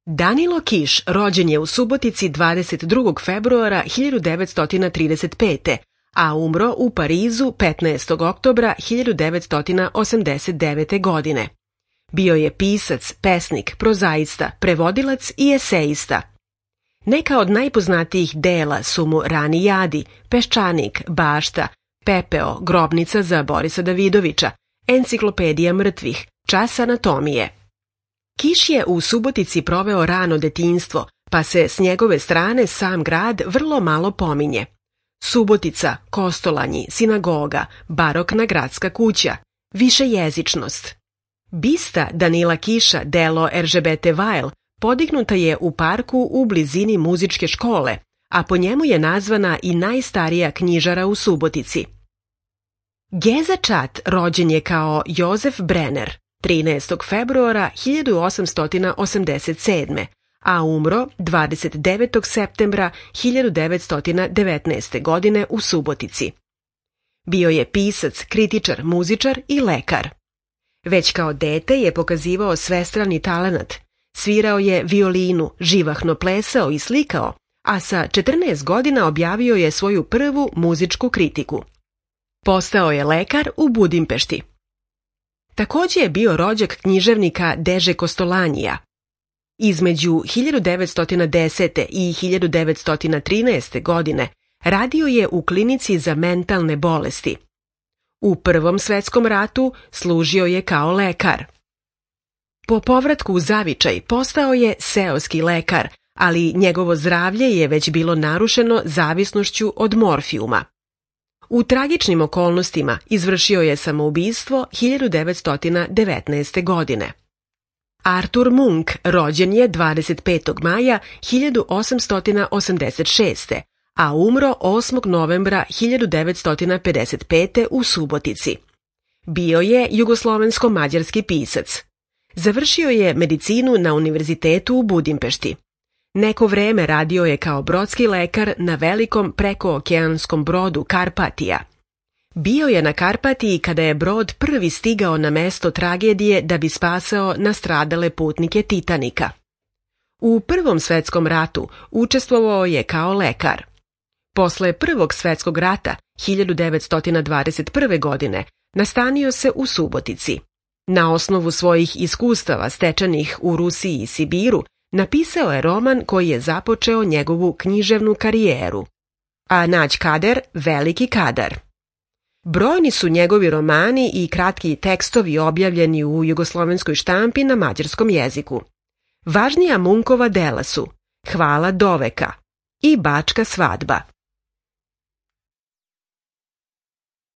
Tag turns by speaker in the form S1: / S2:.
S1: Danilo Kiš rođen je u Subotici 22. februara 1935. a umro u Parizu 15. oktobra 1989. godine. Bio je pisac, pesnik, prozaista, prevodilac i esejista. Neka od najpoznatijih dela su mu Rani jadi, Peščanik, Bašta, Pepeo, Grobnica za Borisa Davidovića, Enciklopedija mrtvih, Čas anatomije. Kiš je u Subotici proveo rano detinjstvo, pa se s njegove strane sam grad vrlo malo pominje. Subotica, Kostolanji, sinagoga, barokna gradska kuća, višejezičnost. Bista Danila Kiša, delo Eržebete Vajl, podignuta je u parku u blizini muzičke škole, a po njemu je nazvana i najstarija knjižara u Subotici. Geza Čat rođen je kao Jozef Brenner 13. februara 1887. a umro 29. septembra 1919. godine u Subotici. Bio je pisac, kritičar, muzičar i lekar. Već kao dete je pokazivao svestrani talenat. Svirao je violinu, živahno plesao i slikao, a sa 14 godina objavio je svoju prvu muzičku kritiku. Postao je lekar u Budimpešti. Također je bio rođak književnika Deže Kostolanjija. Između 1910. i 1913. godine radio je u klinici za mentalne bolesti. U Prvom svetskom ratu služio je kao lekar. Po povratku u zavičaj postao je seoski lekar, ali njegovo zdravlje je već bilo narušeno zavisnošću od morfijuma. U tragičnim okolnostima izvršio je samoubistvo 1919. godine. Artur Munk rođen je 25. maja 1886. a umro 8. novembra 1955. u Subotici. Bio je jugoslovensko-mađarski pisac. Završio je medicinu na univerzitetu u Budimpešti. Neko vreme radio je kao brodski lekar na velikom prekookeanskom brodu Karpatija. Bio je na Karpatiji kada je brod prvi stigao na mesto tragedije da bi spasao nastradale putnike Titanika. U Prvom svetskom ratu učestvovao je kao lekar. Posle Prvog svetskog rata, 1921. godine, nastanio se u Subotici. Na osnovu svojih iskustava stečenih u Rusiji i Sibiru, napisao je roman koji je započeo njegovu književnu karijeru. A Nađ Kader, Veliki kadar. Brojni su njegovi romani i kratki tekstovi objavljeni u jugoslovenskoj štampi na mađarskom jeziku. Važnija Munkova dela su Hvala doveka i Bačka svadba.